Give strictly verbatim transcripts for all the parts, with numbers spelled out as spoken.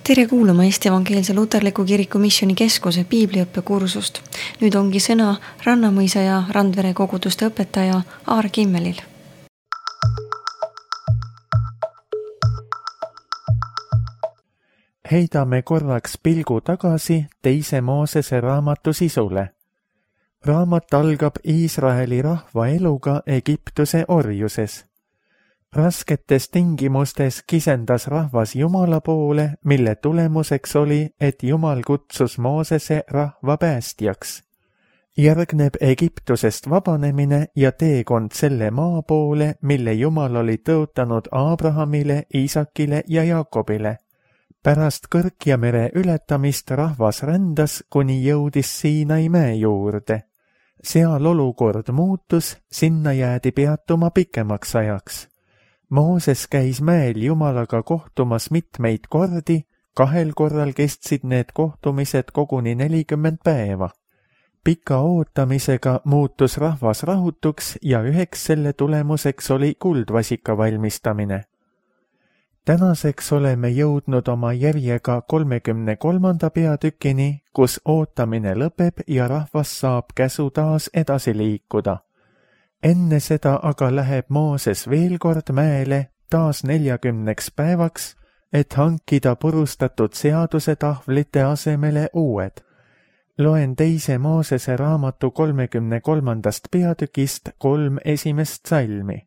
Tere kuulama Eesti Evangeelse Luterliku Kiriku Missioni Keskuse piibliõppekursust. Nüüd ongi sõna Rannamõisa ja Randvere koguduste õpetaja Aar Kimmelil. Heidame korraks pilgu tagasi teise Moosese raamatu sisule. Raamat algab Iisraeli rahva eluga Egiptuse orjuses. Rasketes tingimustes kisendas rahvas Jumala poole, mille tulemuseks oli, et Jumal kutsus Moosese rahva päästjaks. Järgneb Egiptusest vabanemine ja teekond selle maa poole, mille Jumal oli tõotanud Abrahamile, Iisakile ja Jaakobile. Pärast Kõrkja mere ületamist rahvas rändas, kuni jõudis Siinai mäe juurde. Seal olukord muutus, sinna jäädi peatuma pikemaks ajaks. Mooses käis mäel Jumalaga kohtumas mitmeid kordi, kahel korral kestsid need kohtumised koguni nelikümmend päeva. Pika ootamisega muutus rahvas rahutuks ja üheks selle tulemuseks oli kuldvasika valmistamine. Tänaseks oleme jõudnud oma järjega kolmekümne kolmanda peatükini, kus ootamine lõpeb ja rahvas saab käsu taas edasi liikuda. Enne seda aga läheb Mooses veel kord mäele taas neljakümneks päevaks, et hankida purustatud seaduse tahvlite asemele uued. Loen teise Moosese raamatu kolmekümne kolmandast peatükist kolm esimest salmi.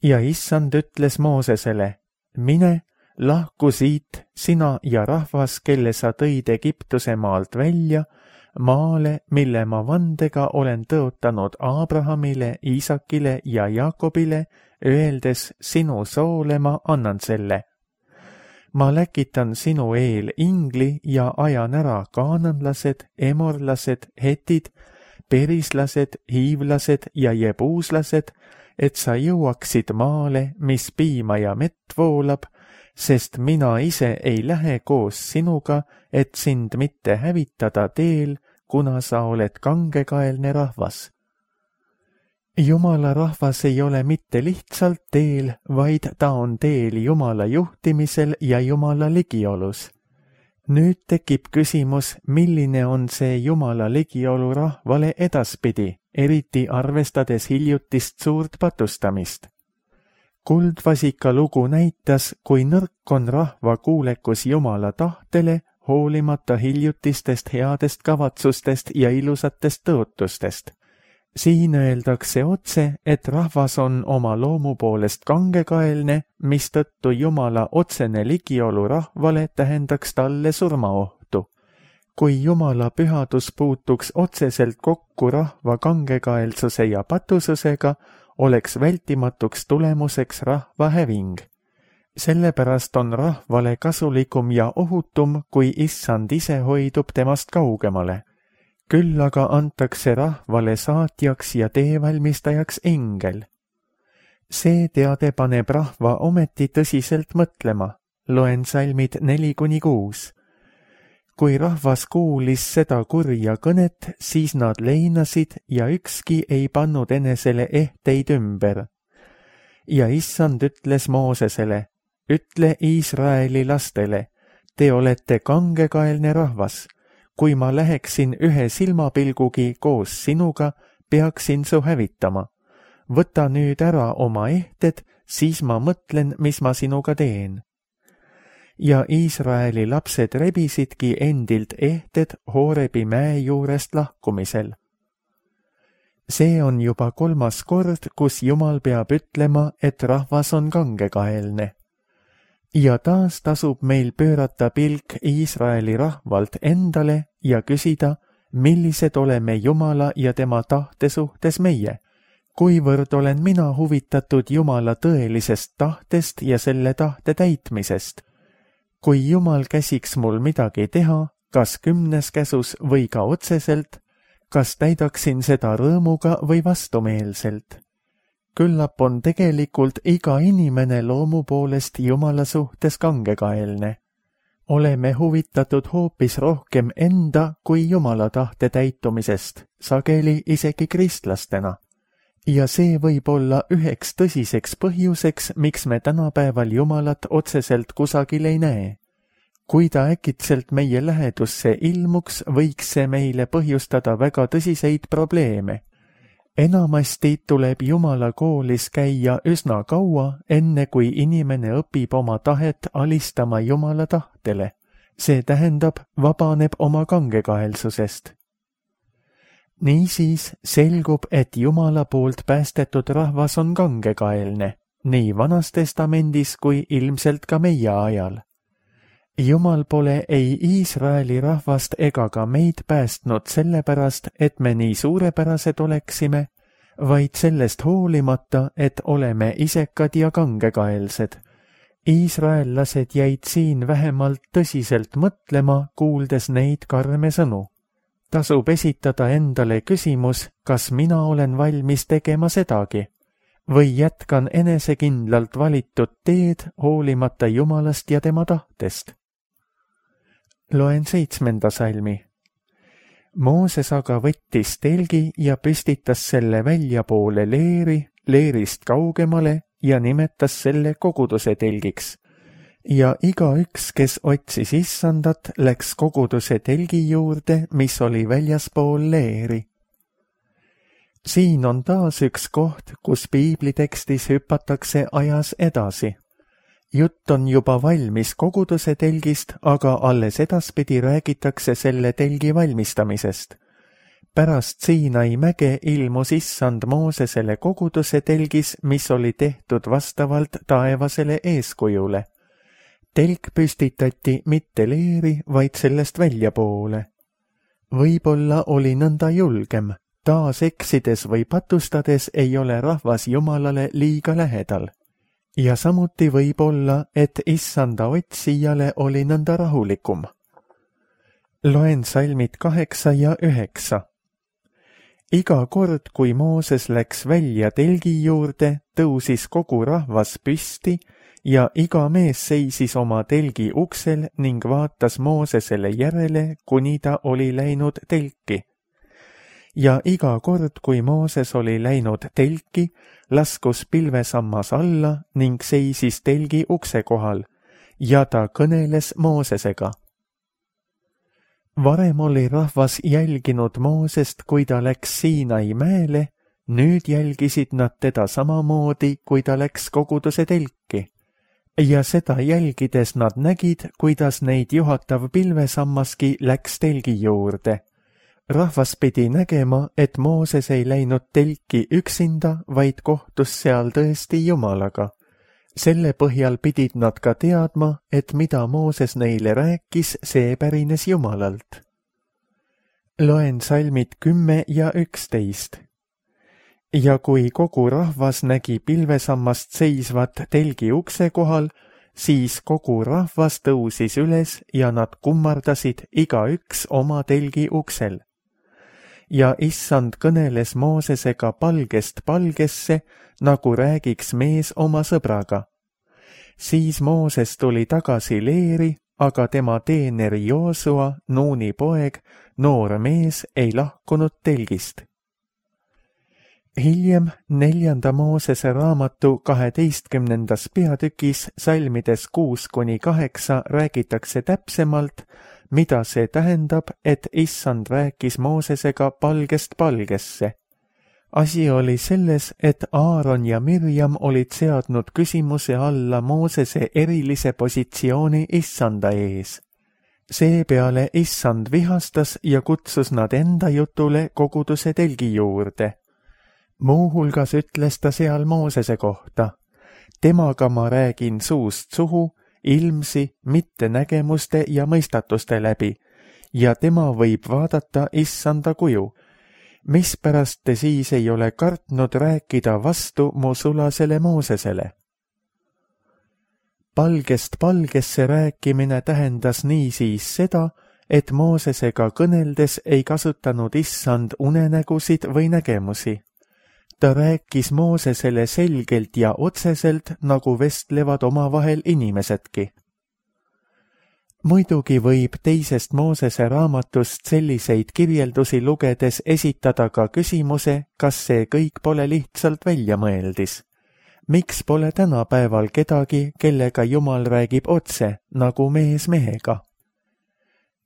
Ja issand ütles Moosesele, mine, lahku siit, sina ja rahvas, kelle sa tõid Egiptuse maalt välja, maale, mille ma vandega olen tõotanud Abrahamile, Iisakile ja Jaakobile, öeldes sinu soole ma annan selle. Ma läkitan sinu eel ingli ja ajan ära kaananlased, emorlased, hetid, perislased, hiivlased ja jebuuslased, et sa jõuaksid maale, mis piima ja mett voolab, sest mina ise ei lähe koos sinuga, et sind mitte hävitada teel, kuna sa oled kangekaelne rahvas. Jumala rahvas ei ole mitte lihtsalt teel, vaid ta on teel Jumala juhtimisel ja Jumala ligiolus. Nüüd tekib küsimus, milline on see Jumala ligiolu rahvale edaspidi, eriti arvestades hiljutist suurt patustamist. Kuldvasika lugu näitas, kui nõrk on rahva kuulekus Jumala tahtele, hoolimata hiljutistest headest kavatsustest ja ilusatest tõotustest. Siin öeldakse otse, et rahvas on oma loomu poolest kangekaelne, mistõttu Jumala otsene ligiolu rahvale tähendaks talle surmaohtu. Kui Jumala pühadus puutuks otseselt kokku rahva kangekaelsuse ja patususega, oleks vältimatuks tulemuseks rahva häving. Sellepärast on rahvale kasulikum ja ohutum, kui issand ise hoidub temast kaugemale. Küll aga antakse rahvale saatjaks ja teevalmistajaks engel. See teade paneb rahva ometi tõsiselt mõtlema. Loen salmid neli kuni kuus. Kui rahvas kuulis seda kurja kõnet, siis nad leinasid ja ükski ei pannud enesele ehteid ümber. Ja issand ütles Moosesele, ütle Iisraeli lastele, te olete kangekaelne rahvas. Kui ma läheksin ühe silmapilgugi koos sinuga, peaksin su hävitama. Võta nüüd ära oma ehted, siis ma mõtlen, mis ma sinuga teen. Ja Iisraeli lapsed rebisidki endilt ehted Hoorebi mäe juurest lahkumisel. See on juba kolmas kord, kus Jumal peab ütlema, et rahvas on kangekaelne. Ja taas tasub meil pöörata pilk Iisraeli rahvalt endale ja küsida, millised oleme Jumala ja tema tahte suhtes meie. Kuivõrd olen mina huvitatud Jumala tõelisest tahtest ja selle tahte täitmisest. Kui Jumal käsiks mul midagi teha, kas kümnes käsus või ka otseselt, kas täidaksin seda rõõmuga või vastumeelselt. Küllap on tegelikult iga inimene loomu poolest Jumala suhtes kangekaelne. Oleme huvitatud hoopis rohkem enda kui Jumala tahte täitumisest, sageli isegi kristlastena. Ja see võib olla üheks tõsiseks põhjuseks, miks me tänapäeval Jumalat otseselt kusagil ei näe. kui ta äkitselt meie lähedusse ilmuks, võiks see meile põhjustada väga tõsiseid probleeme. Enamasti tuleb Jumala koolis käia üsna kaua, enne kui inimene õpib oma tahet alistama Jumala tahtele. See tähendab, vabaneb oma kangekaelsusest. Niisiis selgub, et Jumala poolt päästetud rahvas on kangekaelne, nii Vanas Testamendis kui ilmselt ka meie ajal. Jumal pole ei Iisraeli rahvast ega ka meid päästnud sellepärast, et me nii suurepärased oleksime, vaid sellest hoolimata, et oleme isekad ja kangekaelsed. Iisraellased jäid siin vähemalt tõsiselt mõtlema, kuuldes neid karme sõnu. Tasub esitada endale küsimus, kas mina olen valmis tegema sedagi, või jätkan enesekindlalt valitud teed hoolimata Jumalast ja tema tahtest. Loen seitsmenda salmi. Mooses aga võttis telgi ja püstitas selle väljapoole leeri, leerist kaugemale ja nimetas selle koguduse telgiks. Ja igaüks, kes otsis issandat, läks koguduse telgi juurde, mis oli väljaspool leeri. Siin on taas üks koht, kus piiblitekstis hüpatakse ajas edasi. Jutt on juba valmis koguduse telgist, aga alles edaspidi räägitakse selle telgi valmistamisest. Pärast Siinai mäge ilmus issand Moosesele koguduse telgis, mis oli tehtud vastavalt taevasele eeskujule. Telk püstitati mitte leeri, vaid sellest väljapoole. Võib-olla oli nõnda julgem, taas eksides või patustades ei ole rahvas Jumalale liiga lähedal. Ja samuti võib olla, et issanda otsijale oli nõnda rahulikum. Loen salmid kaheksa ja üheksa. Iga kord, kui Mooses läks välja telgi juurde, tõusis kogu rahvas püsti ja iga mees seisis oma telgi uksel ning vaatas Moosesele järele, kuni ta oli läinud telki. Ja iga kord, kui Mooses oli läinud telki, laskus pilvesammas alla ning seisis telgi ukse kohal ja ta kõneles Moosesega. Varem oli rahvas jälginud Moosest, kui ta läks Siinai mäele, nüüd jälgisid nad teda samamoodi, kui ta läks koguduse telki. Ja seda jälgides nad nägid, kuidas neid juhatav pilvesammaski läks telgi juurde. Rahvas pidi nägema, et Mooses ei läinud telki üksinda, vaid kohtus seal tõesti Jumalaga. Selle põhjal pidid nad ka teadma, et mida Mooses neile rääkis, see pärines Jumalalt. Loen salmid kümme ja üksteist. Ja kui kogu rahvas nägi pilvesammast seisvat telgi ukse kohal, siis kogu rahvas tõusis üles ja nad kummardasid igaüks oma telgi uksel. Ja issand kõneles Moosesega palgest palgesse, nagu räägiks mees oma sõbraga. Siis Mooses tuli tagasi leeri, aga tema teener Joosua, Nuuni poeg, noor mees, ei lahkunud telgist. Hiljem neljanda Moosese raamatu kaheteistkümnendas peatükis salmides kuus kuni kaheksa räägitakse täpsemalt, mida see tähendab, et issand rääkis Moosesega palgest palgesse. Asi oli selles, et Aaron ja Mirjam olid seadnud küsimuse alla Moosese erilise positsiooni issanda ees. Seepeale issand vihastas ja kutsus nad enda jutule koguduse telgi juurde. Muuhulgas ütles ta seal Moosese kohta. Temaga ma räägin suust suhu, ilmsi, mitte nägemuste ja mõistatuste läbi, ja tema võib vaadata issanda kuju. Mispärast te siis ei ole kartnud rääkida vastu mu sulasele Moosesele? Palgest palgesse rääkimine tähendas niisiis seda, et Moosesega kõneldes ei kasutanud issand unenägusid või nägemusi. Ta rääkis Moosesele selgelt ja otseselt, nagu vestlevad omavahel inimesedki. Muidugi võib teisest Moosese raamatust selliseid kirjeldusi lugedes esitada ka küsimuse, kas see kõik pole lihtsalt väljamõeldis. miks pole tänapäeval kedagi, kellega Jumal räägib otse, nagu mees mehega?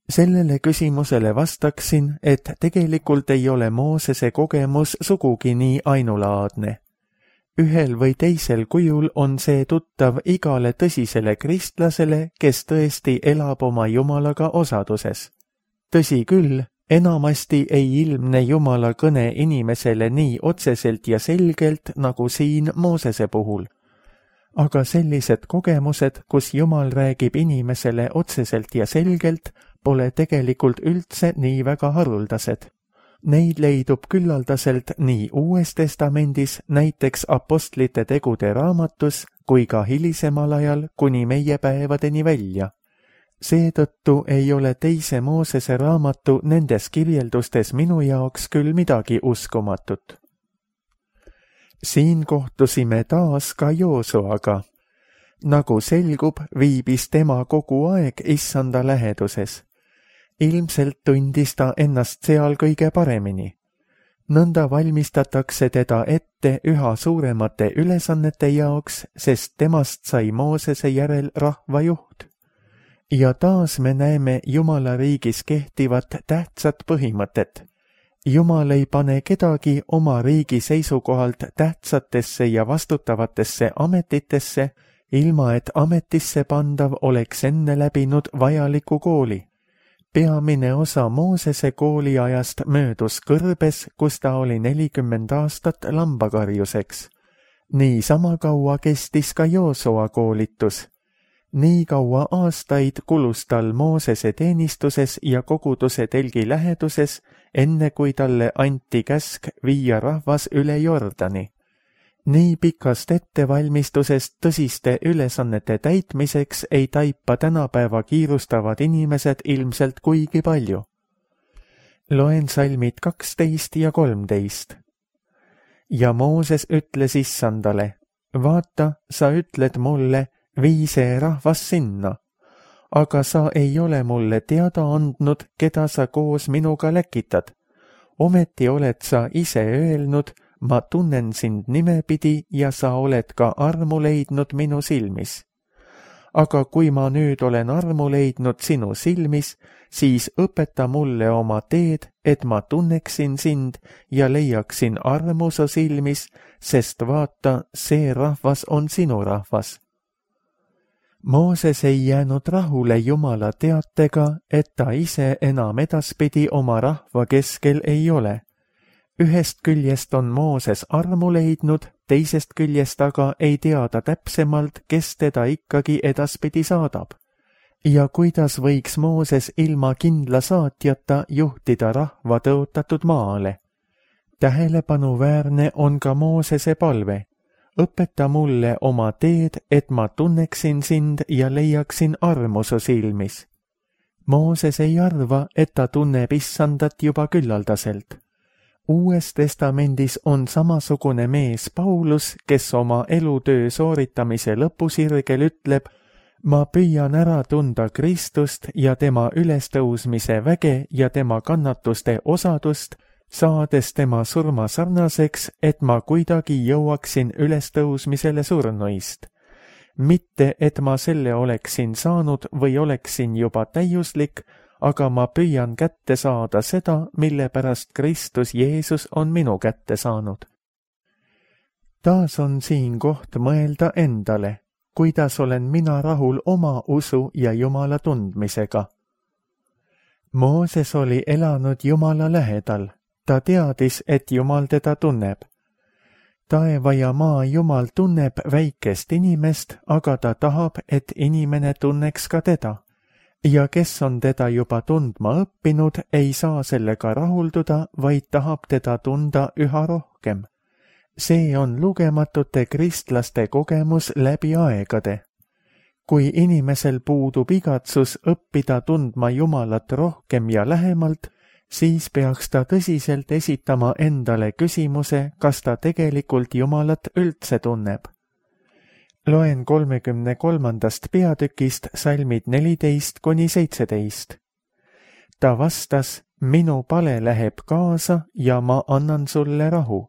Sellele küsimusele vastaksin, et tegelikult ei ole Moosese kogemus sugugi nii ainulaadne. Ühel või teisel kujul on see tuttav igale tõsisele kristlasele, kes tõesti elab oma Jumalaga osaduses. Tõsi küll, enamasti ei ilmne Jumala kõne inimesele nii otseselt ja selgelt, nagu siin Moosese puhul. Aga sellised kogemused, kus Jumal räägib inimesele otseselt ja selgelt, pole tegelikult üldse nii väga haruldased. Neid leidub küllaldaselt nii Uues Testamendis, näiteks Apostlite tegude raamatus, kui ka hilisemal ajal kuni meie päevadeni välja. Seetõttu ei ole teise Moosese raamatu nendes kirjeldustes minu jaoks küll midagi uskumatut. Siin kohtusime taas ka Joosuaga. Nagu selgub, viibis tema kogu aeg Issanda läheduses. Ilmselt tundis ta ennast seal kõige paremini. Nõnda valmistatakse teda ette üha suuremate ülesannete jaoks, sest temast sai Moosese järel rahva juht. Ja taas me näeme Jumala riigis kehtivat tähtsat põhimõtet. Jumal ei pane kedagi oma riigi seisukohalt tähtsatesse ja vastutavatesse ametitesse, ilma et ametisse pandav oleks enne läbinud vajaliku kooli. Peamine osa Moosese kooliajast möödus kõrbes, kus ta oli nelikümmend aastat lambakarjuseks. Nii sama kaua kestis ka Joosua koolitus. Nii kaua aastaid kulus tal Moosese teenistuses ja koguduse telgi läheduses, enne kui talle anti käsk viia rahvas üle Jordani. Nii pikast ettevalmistusest tõsiste ülesannete täitmiseks ei taipa tänapäeva kiirustavad inimesed ilmselt kuigi palju. Loen salmid kaksteist ja kolmteist. Ja Mooses ütles Issandale, vaata, sa ütled mulle, vii see rahvas sinna, aga sa ei ole mulle teada andnud, keda sa koos minuga läkitad. Ometi oled sa ise öelnud, ma tunnen sind nimepidi ja sa oled ka armu leidnud minu silmis. Aga kui ma nüüd olen armu leidnud sinu silmis, siis õpeta mulle oma teed, et ma tunneksin sind ja leiaksin armu su silmis, sest vaata, see rahvas on sinu rahvas. Mooses ei jäänud rahule Jumala teatega, et ta ise enam edaspidi oma rahva keskel ei ole. Ühest küljest on Mooses armu leidnud, teisest küljest aga ei teada täpsemalt, kes teda ikkagi edaspidi saadab. Ja kuidas võiks Mooses ilma kindla saatjata juhtida rahva tõotatud maale? Tähelepanuväärne on ka Moosese palve. Õpeta mulle oma teed, et ma tunneksin sind ja leiaksin armu su silmis. Mooses ei arva, et ta tunneb Issandat juba küllaldaselt. Uues testamendis on samasugune mees Paulus, kes oma elutöö sooritamise lõpusirgel ütleb, ma püüan ära tunda Kristust ja tema ülestõusmise väge ja tema kannatuste osadust, saades tema surma sarnaseks, et ma kuidagi jõuaksin ülestõusmisele surnuist. Mitte, et ma selle oleksin saanud või oleksin juba täiuslik, aga ma püüan kätte saada seda, mille pärast Kristus Jeesus on minu kätte saanud. Taas on siin koht mõelda endale, kuidas olen mina rahul oma usu ja Jumala tundmisega. Mooses oli elanud Jumala lähedal, ta teadis, et Jumal teda tunneb. Taeva ja maa Jumal tunneb väikest inimest, aga ta tahab, et inimene tunneks ka teda. Ja kes on teda juba tundma õppinud, ei saa sellega rahulduda, vaid tahab teda tunda üha rohkem. See on lugematute kristlaste kogemus läbi aegade. Kui inimesel puudub igatsus õppida tundma Jumalat rohkem ja lähemalt, siis peaks ta tõsiselt esitama endale küsimuse, kas ta tegelikult Jumalat üldse tunneb. Loen kolmekümne kolmandast peatükist salmid neliteist kuni seitseteist. Ta vastas, minu pale läheb kaasa ja ma annan sulle rahu.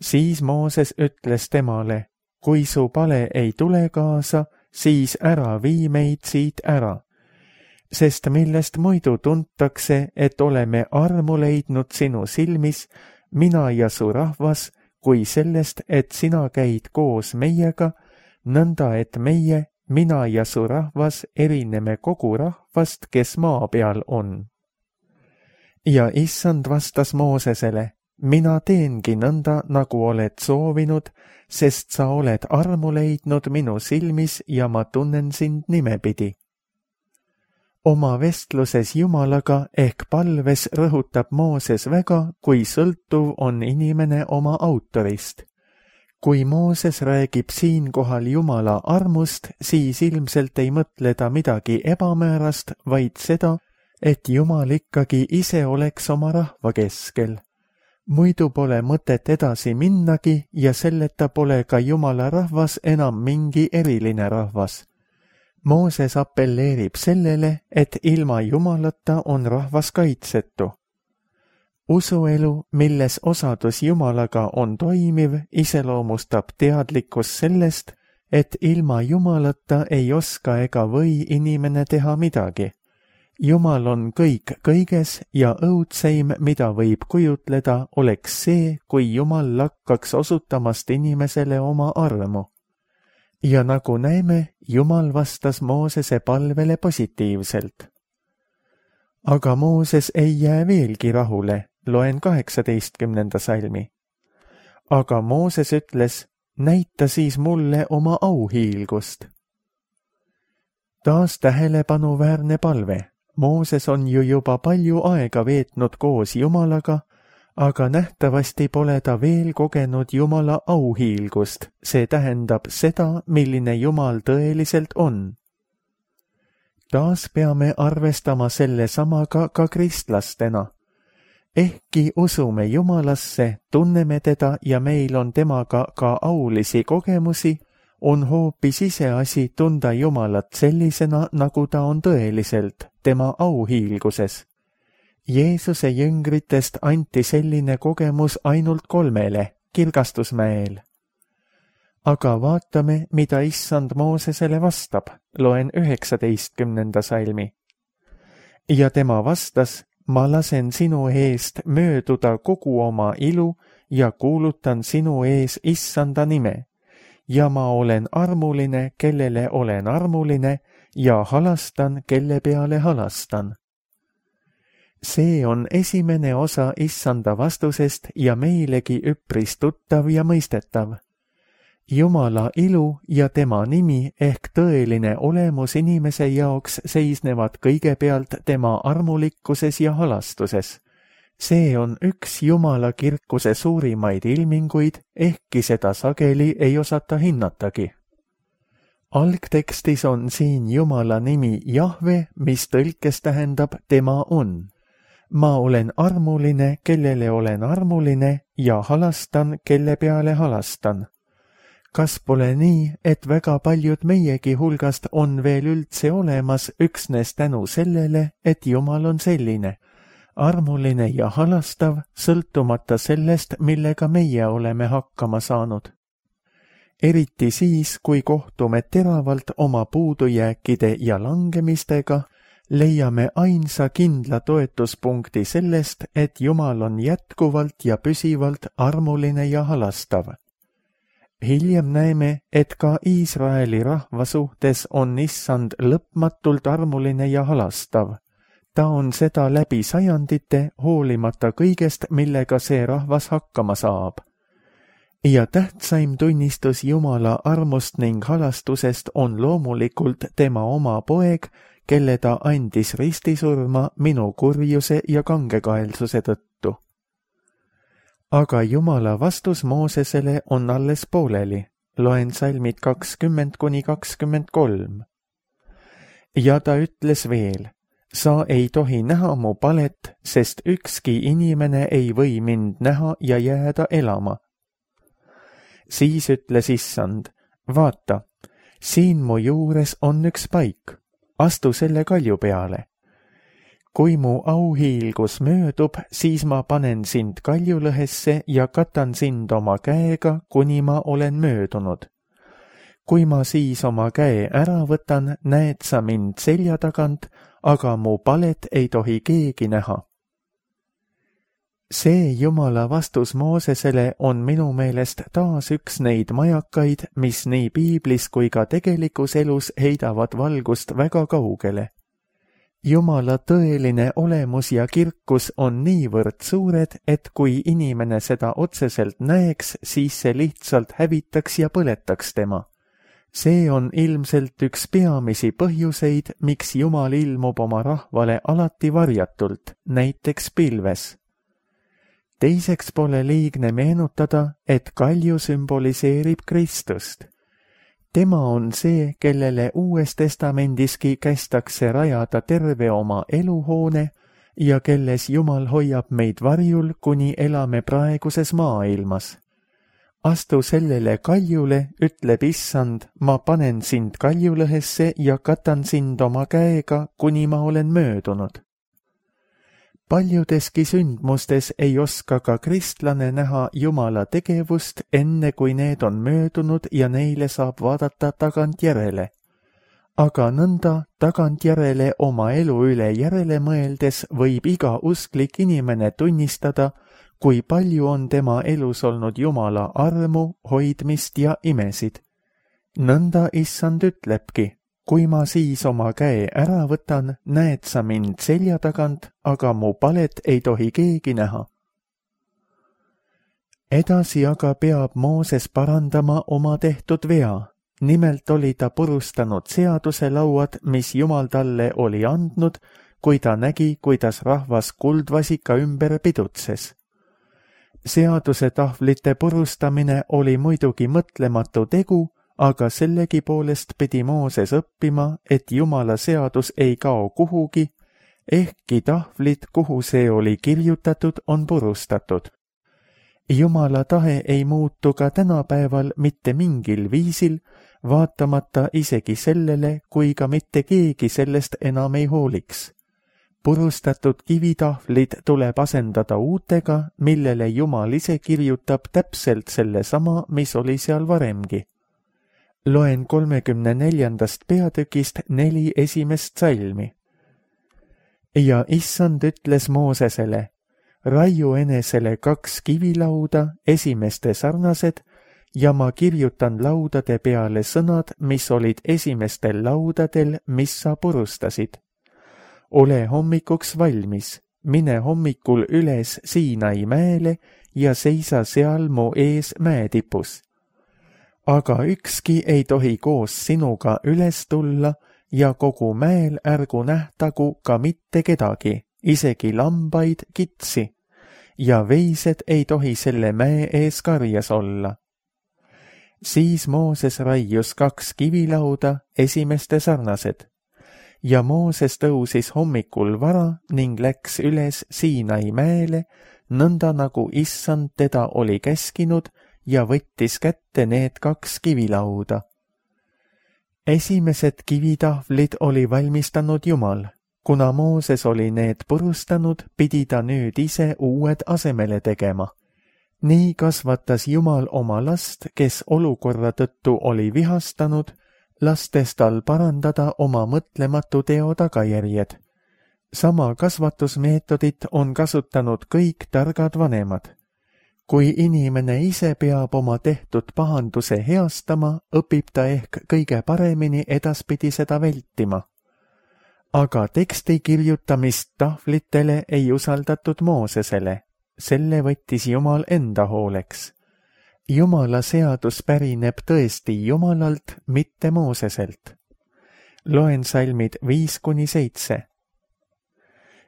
Siis Mooses ütles temale, kui su pale ei tule kaasa, siis ära vii meid siit ära. Sest millest muidu tuntakse, et oleme armu leidnud sinu silmis, mina ja su rahvas, kui sellest, et sina käid koos meiega, nõnda et meie, mina ja su rahvas erineme kogu rahvast, kes maa peal on. Ja issand vastas Moosesele, mina teengi nõnda, nagu oled soovinud, sest sa oled armu leidnud minu silmis ja ma tunnen sind nimepidi. Oma vestluses Jumalaga ehk palves rõhutab Mooses väga, kui sõltuv on inimene oma autorist. Kui Mooses räägib siinkohal Jumala armust, siis ilmselt ei mõtle ta midagi ebamäärast, vaid seda, et Jumal ikkagi ise oleks oma rahva keskel. Muidu pole mõtet edasi minnagi ja selleta pole ka Jumala rahvas enam mingi eriline rahvas. Mooses appelleerib sellele, et ilma Jumalata on rahvas kaitsetu. Usuelu, milles osadus Jumalaga on toimiv, iseloomustab teadlikkus sellest, et ilma Jumalata ei oska ega või inimene teha midagi. Jumal on kõik kõiges ja õudseim, mida võib kujutleda, oleks see, kui Jumal lakkaks osutamast inimesele oma armu. Ja nagu näeme, Jumal vastas Moosese palvele positiivselt. Aga Mooses ei jää veelgi rahule, loen kaheksateistkümnenda salmi. Aga Mooses ütles, näita siis mulle oma auhiilgust. Taas tähelepanuväärne palve. Mooses on ju juba palju aega veetnud koos Jumalaga, aga nähtavasti pole ta veel kogenud Jumala auhiilgust, see tähendab seda, milline Jumal tõeliselt on. Taas peame arvestama selle samaga ka kristlastena. Ehkki usume Jumalasse, tunneme teda ja meil on temaga ka aulisi kogemusi, on hoopis iseasi tunda Jumalat sellisena, nagu ta on tõeliselt, tema auhiilguses. Jeesuse jüngritest anti selline kogemus ainult kolmele, Kirgastusmäel. Aga vaatame, mida issand Moosesele vastab, loen üheksateistkümnenda salmi. Ja tema vastas, ma lasen sinu eest mööduda kogu oma ilu ja kuulutan sinu ees issanda nime. Ja ma olen armuline, kellele olen armuline, ja halastan, kelle peale halastan. See on esimene osa issanda vastusest ja meilegi üpris tuttav ja mõistetav. Jumala ilu ja tema nimi ehk tõeline olemus inimese jaoks seisnevad kõigepealt tema armulikkuses ja halastuses. See on üks Jumala kirkuse suurimaid ilminguid, ehkki seda sageli ei osata hinnatagi. Algtekstis on siin Jumala nimi Jahve, mis tõlkes tähendab tema on. Ma olen armuline, kellele olen armuline ja halastan, kelle peale halastan. Kas pole nii, et väga paljud meiegi hulgast on veel üldse olemas üksnes tänu sellele, et Jumal on selline? Armuline ja halastav, sõltumata sellest, millega meie oleme hakkama saanud. Eriti siis, kui kohtume teravalt oma puudujääkide ja langemistega, leiame ainsa kindla toetuspunkti sellest, et Jumal on jätkuvalt ja püsivalt armuline ja halastav. Hiljem näeme, et ka Iisraeli rahva suhtes on issand lõpmatult armuline ja halastav. Ta on seda läbi sajandite, hoolimata kõigest, millega see rahvas hakkama saab. Ja tähtsaim tunnistus Jumala armust ning halastusest on loomulikult tema oma poeg, kelle ta andis ristisurma minu kurjuse ja kangekaelsuse tõttu. Aga Jumala vastus Moosesele on alles pooleli. Loen salmid kakskümmend kuni kakskümmend kolm. Ja ta ütles veel, sa ei tohi näha mu palet, sest ükski inimene ei või mind näha ja jääda elama. Siis ütles issand, vaata, siin mu juures on üks paik, astu selle kalju peale. kui mu auhiilgus möödub, siis ma panen sind kaljulõhesse ja katan sind oma käega, kuni ma olen möödunud. kui ma siis oma käe ära võtan, näed sa mind selja tagant, aga mu palet ei tohi keegi näha. See Jumala vastus Moosesele on minu meelest taas üks neid majakaid, mis nii piiblis kui ka tegelikus elus heidavad valgust väga kaugele. Jumala tõeline olemus ja kirkus on niivõrd suured, et kui inimene seda otseselt näeks, siis see lihtsalt hävitaks ja põletaks tema. See on ilmselt üks peamisi põhjuseid, miks Jumal ilmub oma rahvale alati varjatult, näiteks pilves. Teiseks pole liigne meenutada, et kalju sümboliseerib Kristust. Tema on see, kellele Uues Testamendiski kästakse rajada terve oma eluhoone ja kelles Jumal hoiab meid varjul, kuni elame praeguses maailmas. Astu sellele kaljule, ütleb Issand, ma panen sind kaljulõhesse ja katan sind oma käega, kuni ma olen möödunud. Paljudeski sündmustes ei oska ka kristlane näha Jumala tegevust, enne kui need on möödunud ja neile saab vaadata tagantjärele. Aga nõnda tagantjärele oma elu üle järele mõeldes võib iga usklik inimene tunnistada, kui palju on tema elus olnud Jumala armu, hoidmist ja imesid. Nõnda Issand ütlebki, kui ma siis oma käe ära võtan, näed sa mind selja tagant, aga mu palet ei tohi keegi näha. Edasi aga peab Mooses parandama oma tehtud vea. Nimelt oli ta purustanud seaduselauad, mis Jumal talle oli andnud, kui ta nägi, kuidas rahvas kuldvasika ümber pidutses. Seaduse tahvlite purustamine oli muidugi mõtlematu tegu, aga sellegi poolest pidi Mooses õppima, et Jumala seadus ei kao kuhugi, ehkki tahvlid, kuhu see oli kirjutatud, on purustatud. Jumala tahe ei muutu ka tänapäeval mitte mingil viisil, vaatamata isegi sellele, kui ka mitte keegi sellest enam ei hooliks. Purustatud kivitahvlid tuleb asendada uutega, millele Jumal ise kirjutab täpselt selle sama, mis oli seal varemgi. Loen kolmekümne neljandast peatükist neli esimest salmi. Ja Issand ütles Moosesele, raiu enesele kaks kivilauda, esimeste sarnased, ja ma kirjutan laudade peale sõnad, mis olid esimestel laudadel, mis sa purustasid. Ole hommikuks valmis, mine hommikul üles Siinai mäele ja seisa seal mu ees mäetipus. Aga ükski ei tohi koos sinuga üles tulla ja kogu mäel ärgu nähtagu ka mitte kedagi, isegi lambaid, kitsi, ja veised ei tohi selle mäe ees karjas olla. Siis Mooses raius kaks kivilauda, esimeste sarnased. Ja Mooses tõusis hommikul vara ning läks üles Siinai mäele, nõnda nagu Issand teda oli käskinud, ja võttis kätte need kaks kivilauda. Esimesed kivitahvlid oli valmistanud Jumal. Kuna Mooses oli need purustanud, pidi ta nüüd ise uued asemele tegema. Nii kasvatas Jumal oma last, kes olukorra tõttu oli vihastanud, lastes tal parandada oma mõtlematu teo tagajärjed. Sama kasvatusmeetodit on kasutanud kõik targad vanemad. Kui inimene ise peab oma tehtud pahanduse heastama, õpib ta ehk kõige paremini edaspidi seda vältima. Aga teksti kirjutamist tahvlitele ei usaldatud Moosesele. Selle võttis Jumal enda hooleks. Jumala seadus pärineb tõesti Jumalalt, mitte Mooseselt. Loen salmid viis kuni seitse.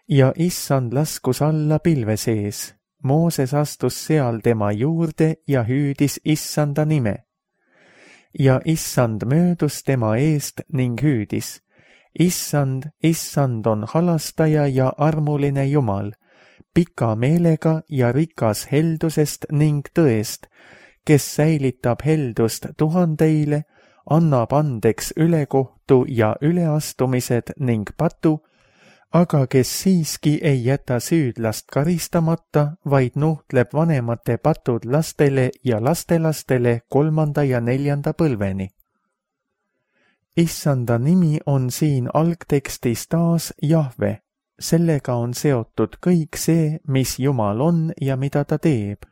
Ja Issand laskus alla pilve sees. Mooses astus seal tema juurde ja hüüdis Issanda nime. Ja Issand möödus tema eest ning hüüdis. Issand, Issand on halastaja ja armuline Jumal, pika meelega ja rikas heldusest ning tõest, kes säilitab heldust tuhandeile, annab andeks ülekohtu ja üleastumised ning patu, aga kes siiski ei jäta süüdlast karistamata, vaid nuhtleb vanemate patud lastele ja lastelastele kolmanda ja neljanda põlveni. Issanda nimi on siin algtekstis taas Jahve. Sellega on seotud kõik see, mis Jumal on ja mida ta teeb.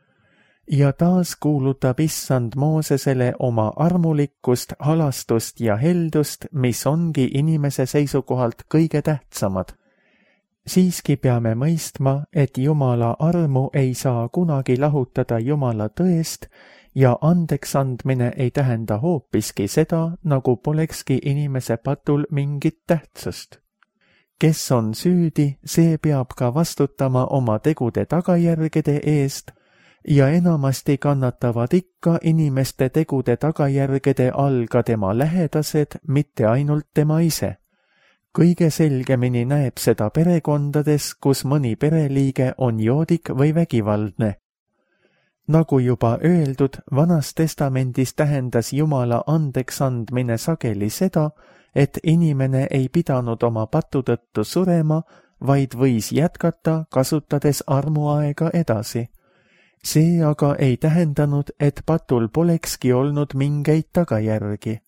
Ja taas kuulutab Issand Moosesele oma armulikkust, halastust ja heldust, mis ongi inimese seisukohalt kõige tähtsamad. Siiski peame mõistma, et Jumala armu ei saa kunagi lahutada Jumala tõest ja andeks andmine ei tähenda hoopiski seda, nagu polekski inimese patul mingit tähtsust. Kes on süüdi, see peab ka vastutama oma tegude tagajärgede eest ja enamasti kannatavad ikka inimeste tegude tagajärgede all ka tema lähedased, mitte ainult tema ise. Kõige selgemini näeb seda perekondades, kus mõni pereliige on joodik või vägivaldne. Nagu juba öeldud, Vanas Testamendis tähendas Jumala andeks andmine sageli seda, et inimene ei pidanud oma patu tõttu surema, vaid võis jätkata, kasutades armuaega edasi. See aga ei tähendanud, et patul polekski olnud mingeid tagajärgi.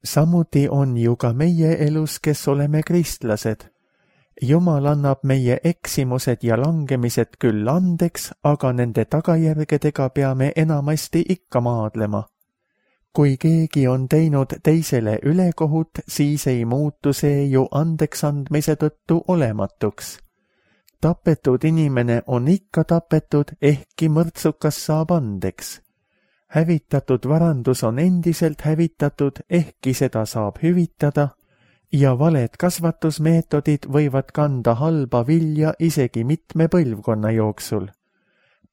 Samuti on ju ka meie elus, kes oleme kristlased. Jumal annab meie eksimused ja langemised küll andeks, aga nende tagajärgedega peame enamasti ikka maadlema. Kui keegi on teinud teisele ülekohut, siis ei muutu see ju andeks andmise tõttu olematuks. Tapetud inimene on ikka tapetud, ehkki mõrtsukas saab andeks. Hävitatud varandus on endiselt hävitatud, ehkki seda saab hüvitada, ja valed kasvatusmeetodid võivad kanda halba vilja isegi mitme põlvkonna jooksul.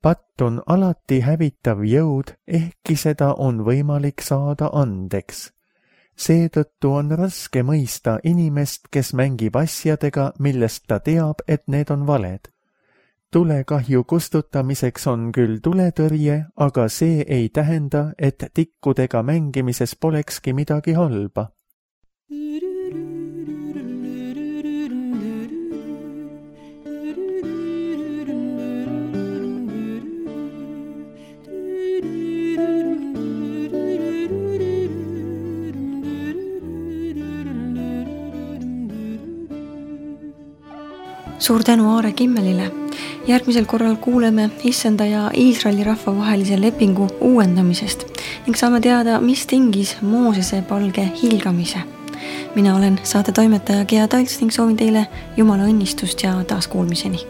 Patt on alati hävitav jõud, ehkki seda on võimalik saada andeks. Seetõttu on raske mõista inimest, kes mängib asjadega, millest ta teab, et need on valed. Tulekahju kustutamiseks on küll tuletõrje, aga see ei tähenda, et tikkudega mängimises polekski midagi halba. Suur tänu Aare Kimmelile. Järgmisel korral kuuleme Issanda ja Iisraeli rahva vahelise lepingu uuendamisest ning saame teada, mis tingis Moosese palge hiilgamise. Mina olen saate toimetaja Gea Talts ning soovin teile Jumala õnnistust ja taaskuulmiseni.